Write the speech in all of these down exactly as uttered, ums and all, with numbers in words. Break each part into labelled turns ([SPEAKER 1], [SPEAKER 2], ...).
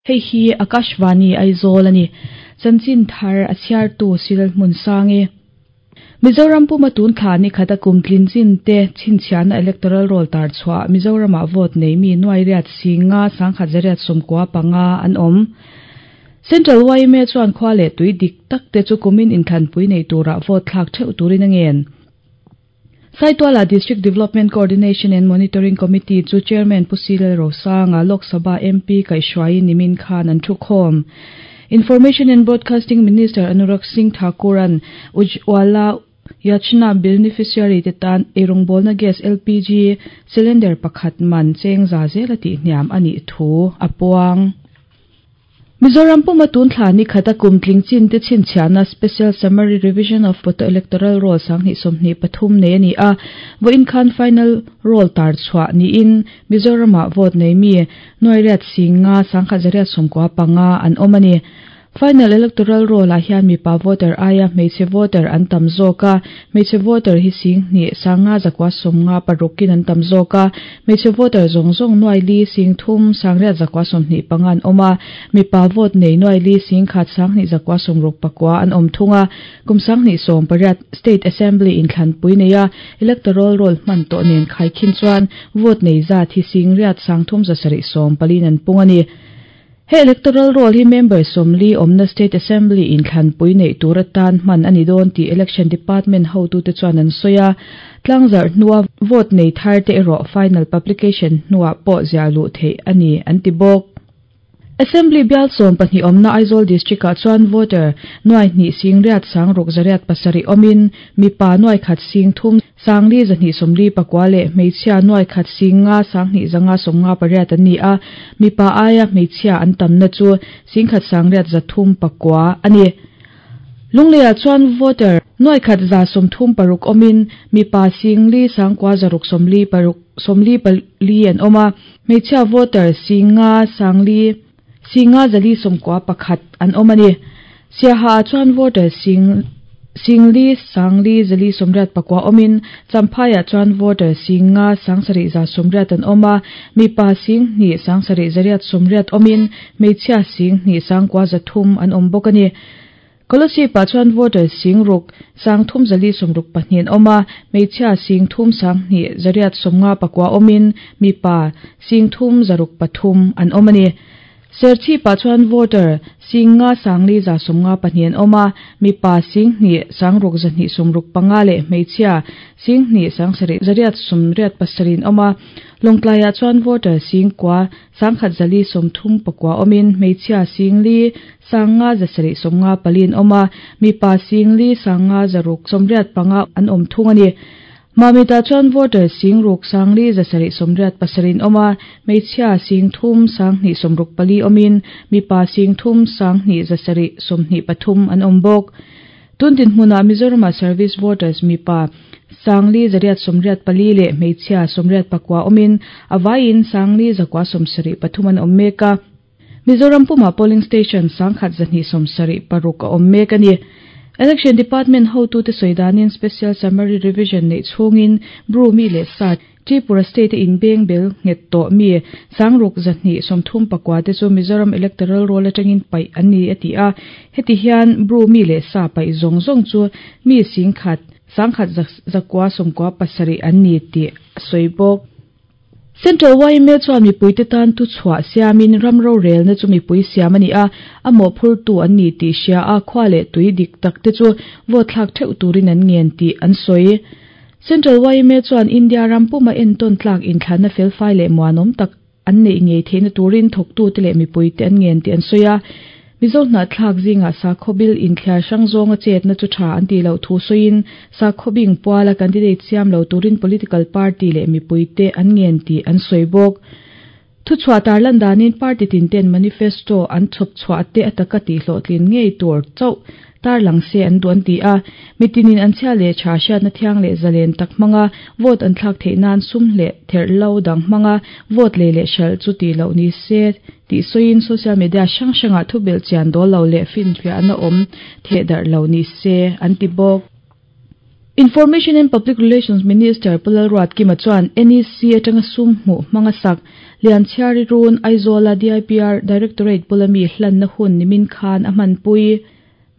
[SPEAKER 1] Hei hi Akashvani Aizawl ani. Chanchin thar a chhiartu Silal hmun sangi. Mizoram puma tun thla ni khata kum tlin chin te chhinchhiahna electoral roll tar chhuah Mizorama vote nei mi nuai riat singa sangkhat zariat sawmkua panga an awm. Central Y M A chuan khua leh tui dik tak te chu kumin inthlanpui nei tura vote thlak theuh turin a ngen. Saituala District Development Coordination and Monitoring Committee chu Chairman Pu Silal Rosanga Lok Sabha M P Kaihruai nimin khan an thu khawm. Information and Broadcasting Minister Anurag Singh Thakuran Ujjwala Yojana beneficiary te tan eirawngbawl gas L P G cylinder pakhat man cheng za zel ati hniam ani thu apuang. Mizoram puma tun thla ni khata kum tling chin te chhinchhiahna Special Summary Revision of Photo Electoral Roll sanghnih sawmhnih pathum nei ani a vawiin khan final roll tar chhuah niin Mizorama vote nei mi nuai riat singa sangkhat zariat sawmkua panga an awm ani. Final electoral roll ah hian mipa voter aia hmeichhe voter an tam zawk a, hmeichhe voter hi sing hnih sanga zakua sawmnga parukin an tam zawk a, hmeichhe voter zawng zawng nuai li sing thum sangriat zakua sawmhnih panga an awm a, mipa vote nei nuai li sing khat sanghnih zakua sawmruk pakua an awm thung a, kum sanghnih sawm pariat State Assembly inthlanpui nei a electoral roll hman tawh nen khaikhin chuan vote nei zat hi sing riat sangthum zasarih sawm palin an pung ani. He electoral roll hi member somli omna State Assembly in thlanpui nei tura tan hman ani dawn ti Election Department ho tu te chuan an soya tlangzar hnuwa vote nei thar te ero final publication hnuwa pawh zialu thei ani an ti bawk. Assembly bial sawm pahnih awmna Aizawl District ah chuan voter nuai hnih sing riat sang ruk zariat pasarih awmin mipa nuai khat sing thum sangli zahnih sawmli pakua leh hmeichhia nuai khat sing nga sanghnih zanga sawmnga pariat an ni a, mipa aia hmeichhia an tamna chu sing khat sang riat zathum pakua ani. Lungleia chuan voter nuai khat za sawmthum paruk awmin mipa singli sangkua zaruk sawmli paruk sawmli pali an awm a, hmeichhia voter singa sangli singa zali sawmkua pakhat an awm ani. Siaha chuan voter sing singli sangli zali sawmriat pakua awmin Champhaiah chuan voter singa sangsarih za sawmriat an awm a, mipa sing hnih sangsarih zariat sawmriat awmin hmeichhia sing hnih sangkua zathum an awm bawk ani. Kolasib-ah chuan voter sing ruk sangthum zali sawmruk pahnih an awm a, hmeichhia sing thum sanghnih zariat sawmnga pakua awmin mipa sing thum zaruk pathum an awm ani. Serchhip-ah chuan voter singa sangli za sawmnga pahnih an awm a, mipa sing hnih sangruk zahnih sawmruk panga leh hmeichhia sing hnih sangsarih zariat sawmriat pasarih an awm a, Lawngtlaiah chuan voter sing kua sangkhat zali sawmthum pakua awmin hmeichhia singli sanga zasarih sawmnga pali an awm a, mipa singli sanga zaruk sawmriat panga an awm thung ani. Mamita chuan voter sing ruk sangli zasarih sawmriat pasarih an awm a, hmeichhia sing thum sanghnih sawmruk pali awmin mipa sing thum sanghnih zasarih sawmhnih pathum an awm bawk. Tun dinhmunah Mizorama service voters mipa sangli zariat sawmriat pali leh hmeichhia sawmriat pakua awmin avaiin sangli zakua sawmsarih pathum an awm mek a. Mizoram puma polling station sangkhat zahnih sawmsarih paruk a awm mek ani. Election Department ho tu te soidanin Special Summary Revision nei chhungin Bru mi leh sa Tripura State in beng bel nget to mi sangruk zahnih sawmthum pakua te chu Mizoram Electoral Roll atangin pai ani ati a, heti hian Bru mi leh sa pai zawng zawng chu mi singkhat sangkhat zakua sawmkua pasarih an ni ti sawi bawk. Central Y M A chuan mipui te tan tu chhuah siamin ramro rel na chu mipui siam ani a, a mawhphur tu an ni tih hria a, khua leh tui dik tak te chu vote thlak theuh turin an ngen tih an sawi. Central Y M A chuan India ram puma entawn tlak inthlanna felfai leh muanawm tak an nei ngei theihna turin thawktu te leh mipui te an ngen tih an sawi a. Mizo hna thlak zinga sakhaw inthliar hrang zawnga chetna chu tha an ti lo thu sawiin sakhaw bing puala candidate siam lo turin political party leh mipui te an ngen tih an sawi bawk. Thu chhuah tar lan danin party tin ten manifesto an chhawp chhuah te ataka tih hlawhtlin ngei tur chauh tar lang se an duan ti a, mitinin an chhia leh tha hriatna thiang leh zalen tak hmanga vote an thlak theih nan sum leh therhlo dang hmanga vote lei leh hral chu ti lo ni se tih sawiin social media hrang hrangah thubel chian dawl lo leh finfiahna awm theh darh lo ni se an ti bawk. Information and Public Relations Minister Pu Lalruatkima chuan N E C atanga sum hmuh hmanga sak Lianchhiari Run Aizawl-a D I P R Directorate bula mi hlanna hun nimin khan a hmanpui.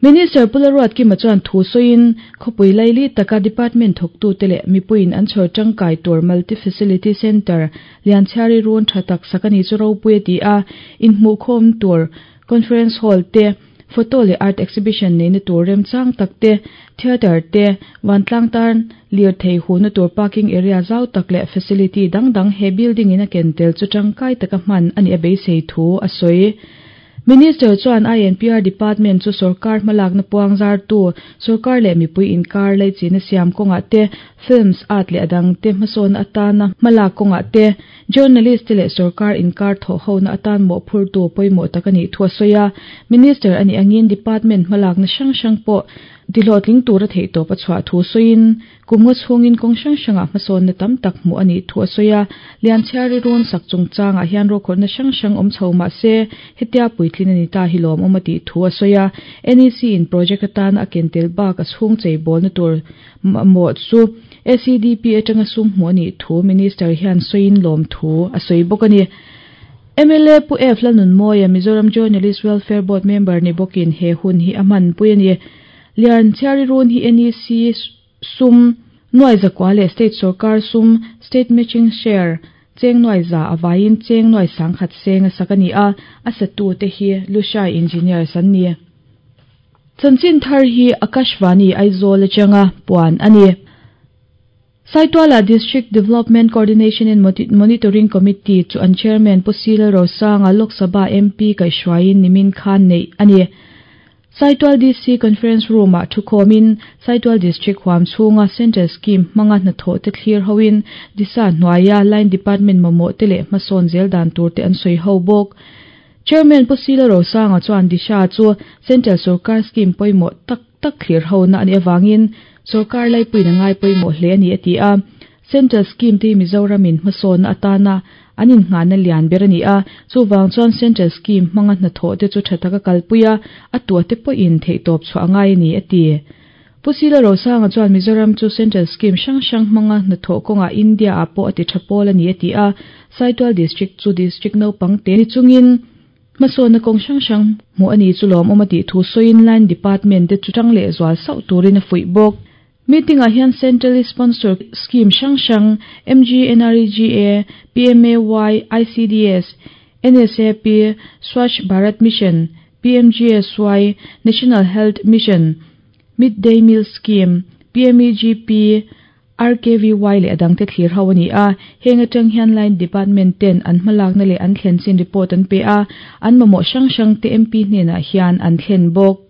[SPEAKER 1] Minister Pu Lalruatkima chuan thu sawiin khawpui laili taka department thawktu te leh mipuiin an chhawr tangkai tur Multi Facility Centre Lianchhiari Run tha tak sak ani chu ropui a ti a, inhmuhkhawm tur conference hall te, photo leh art exhibition neina tur remchang tak te, theatre te, vantlang tan lir thei huna tur parking area zau tak leh facility dang dang he building in a ken tel chu tangkai taka hman ani a beisei thu a sawi. Minister chuan I N P R Department chu sarkar hmalakna puang zar tu, sarkar leh mipui inkar lei china siam kawngah te, films art leh adang te hmasawn atana hmalak kawngah te, journalist te leh sarkar inkar thaw hona atan mawhphur tu pawimawh tak ani thu a sawi a. Minister ani angin department hmalakna hrang hrang pawh tihlawhtling tur a theih tawp a chhuah thu sawiin kumnga chhungin kawng hrang hrangah hmasawnna tam tak hmuh ani thu a sawi a. Lianchhiari Run sak chungchangah hian rokhawrhna hrang hrang awm chho mahse hetia puitlin ani ta hi lawm awm a tih thu a sawi a. N E C in project atana a ken tel bak a chhung chei bawlna tur mawh chu A C D P atanga sum hmuh ani thu minister hian sawiin lawm thu a sawi bawk ani. M L A Pu F Lalnunmawia Mizoram Journalist Welfare Board member ni bawkin he hun hi a hmanpui ani. Lianchhiari Run hi N E C sum nuai zakwa leh state sarkar sum state matching share cheng nuai za awain cheng nuai sangkhat seng a sak ani a, a satu te hi Lushai Engineers an ni. Chanchin thar hi Akashvani Aizawl atanga puan ani. Saituala District Development Coordination and Monitoring Committee chu an chairman Pu C Lalrosanga Lok Sabha M P kaihhruaiin nimin khan nei ani. Saitual D C Conference Room ah thukhomin Saitual District huam chhunga Central Scheme hmanga hnathawh te thlir hoin disa hnuaia Line Department mamawh te leh hmasawn zel dan tur te an sawi ho bawk. Chairman Pu C Lalrosanga chuan disha chu Central Sarkar Scheme pawimawh tak tak thlir ho na ani awangin sarkar laipuina ngai pawimawh hle ani a ti a. Central Scheme te Mizoramin hmasawn atana anin ngana lian ber ani a, chuwang chuan Central Scheme hmanga hnathawh te chu tha taka kalpuia a tua te pawhin theihtawp chhuah angai ani a ti. Pu C Lalrosanga chuan Mizoram chu Central Scheme hrang hrang hmanga hnathawh kawngah India ah pawh a ti tha pawl ani a ti a. Saitual District chu district naupang te ni chungin hmasawnna kawng hrang hrang hmuh ani chu lawm awm a tih thu sawiin Line Department te chu tang leh zual sauh turin a fuih bawk. Meeting ah hian centrally sponsored scheme hrang hrang M G N R E G A, P M A Y, I C D S, N S A P, Swachh Bharat Mission, P M G S Y, National Health Mission, Midday Meal Scheme, P M E G P, R K V Y leh adang te thlir ho ani a. Heng atang hian Line Department ten an hmalakna leh an thlen chin report an pe a, an mamawh hrang hrang te M P hnenah hian an thlen bawk.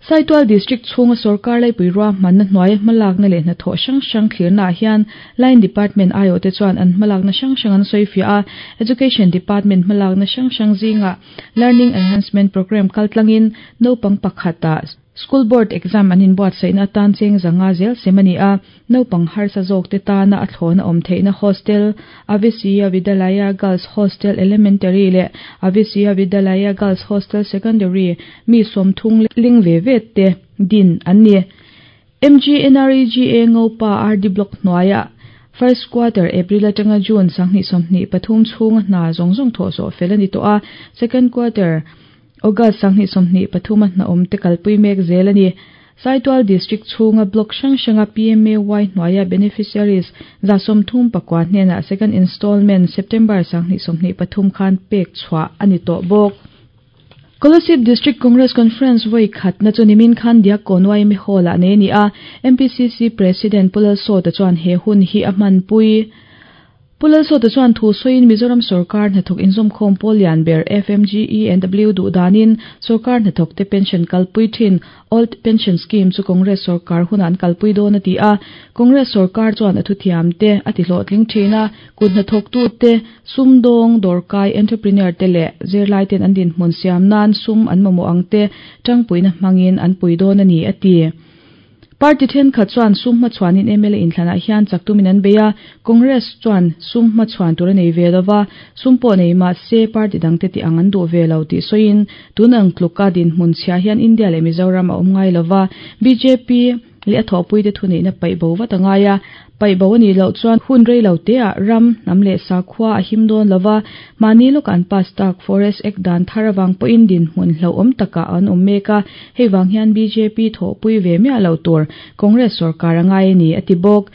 [SPEAKER 1] Saitual District chhunga sarkar laipui ruah hmanna hnuai hmalakna leh hnathawh hrang hrang thlirna ah hian Line Department aiawh te chuan an hmalakna hrang hrang an sawi fiah a. Education Department hmalakna hrang hrang zinga Learning Enhancement Program kaltlangin naupang pakhatah School Board exam an inbuatsaihna atan cheng zanga zel sem ani a, naupang harsa zawk te tana a thlawna awm theihna hostel Avisiya Vidyalaya Girls Hostel Elementary leh Avisiya Vidyalaya Girls Hostel Secondary mi sawmthung ling ve ve te din an ni. M G N R E G A Ngopa R D Block hnuaia First quarter April atanga June sanghnih sawmhnih pathum chhunga hna zawng zawng thawh zawh fel ani tawh a. Second quarter August sanghnih sawmhnih pathum a hna awm te kalpui mek zel ani. Saitual District chhunga block hrang hranga P M A Y hnuaia beneficiaries za sawmthum pakua hnenah second installment September sanghnih sawmhnih pathum khan pek chhuah ani tawh bawk. Kolasib District Congress Conference voi khatna chu nimin khan Diakkawn Y M A Hall ah nei ani a. M P C C President Pu Lalsawta chuan he hun hi a hmanpui. Pu Lalsawta chuan thu sawiin Mizoram sarkar hnathawk inzawmkhawm pawl lian ber F M G E N W duh danin sarkar hnathawk te pension kalpui thin Old Pension Scheme chu Congress sarkar hun an kalpui dawn a ti a. Congress sarkar chuan a thuthiam te a ti hlawhtling thin a, kut hnathawk tu te sumdawng dawrkai entrepreneur te leh zirlai ten an dinhmun siam nan sum an mamawh ang te tangpuina hmangin an pui dawn ani a ti. Party then khat chuan sum hmachhuanin M L A inthlanah hian chaktumin an bei a, Congress chuan sum hmachhuan tur a nei ve lova, sum pawh nei mahse party dang te ti ang an duh ve lo tih sawiin tun ang tluka dinhmun chhia hian India leh Mizoram a awm ngai lova. B J P leh a thawhpuite thuneihna paih bo vat a ngai a. Paih bo a nih loh chuan hun rei lo teah ram hnam leh sakhua a him dawn lova, mahni lawkah an pass tak Forest Act dan thar avang pawhin dinhmun hlauhawm takah an awm mek a, hei vang hian B J P thawhpui ve miah lo tur Congress sorkar a ngai a ni, a ti bawk.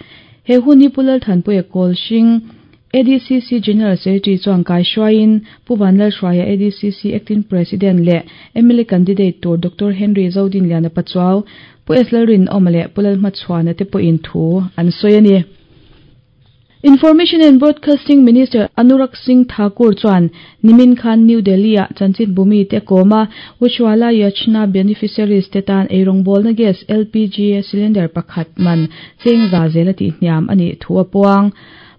[SPEAKER 1] He hun hi Pu Lalthanpuia Kawlhring, A D C C General Secretary chuan kaihruaiin Pu Vanlalhruaia, A D C C Acting President leh M L A candidate tur Doctor Henry Zodinliana Pachuau, Pu S Lalrinawma leh Pu Lalhmachhuana te pawhin thu an sawi a ni. Information and Broadcasting Minister Anurag Singh Thakur chuan nimin khan New Delhi-ah chanchin bumi te kawma Ujjwala Yojana beneficiaries te tan eirawngbawlna gas L P G cylinder pakhat man cheng za zela tihhniam a nih thu a puang.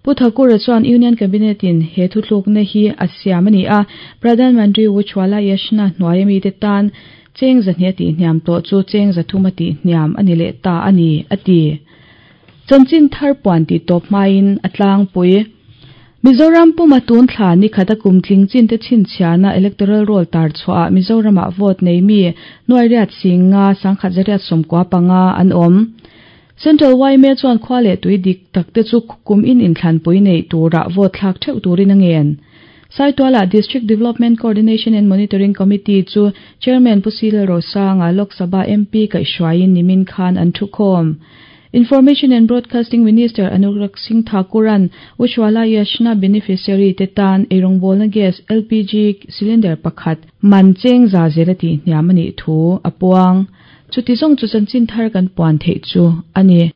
[SPEAKER 1] Pu Thakur chuan Union Cabinet in he thuthlukna hi a siam a ni a, Pradhan Mantri Ujjwala Yojana hnuai ami te tan cheng zahnih a tihhniam tawh chu cheng zathum a tihhniam a ni leh ta a ni, a ti. Chanchin thar puan tih tawp hmain a tlangpui. Mizoram puma tun thla ni khata kum tling chin te chhinchhiahna electoral roll tar chhuah Mizoramah vote nei mi nuai riat singa sangkhat zariat sawmkua panga an awm. Central Y M A chuan khua leh tui dik tak te chu kum in inthlanpui nei turah vote thlak theuh turin a ngen. Saituala District Development Coordination and Monitoring Committee chu Chairman Pu C Lalrosanga, Lok Sabha M P kaihhruaiin nimin khan an thukhawm. Information and Broadcasting Minister Anurag Singh Thakuran Ujjwala Yojana beneficiary te tan eirawngbawlna gas L P G cylinder pakhat man cheng za zela tihhniam a nih thu a puang. Chuti zawng chu chanchin thar kan puan theih chu a ni.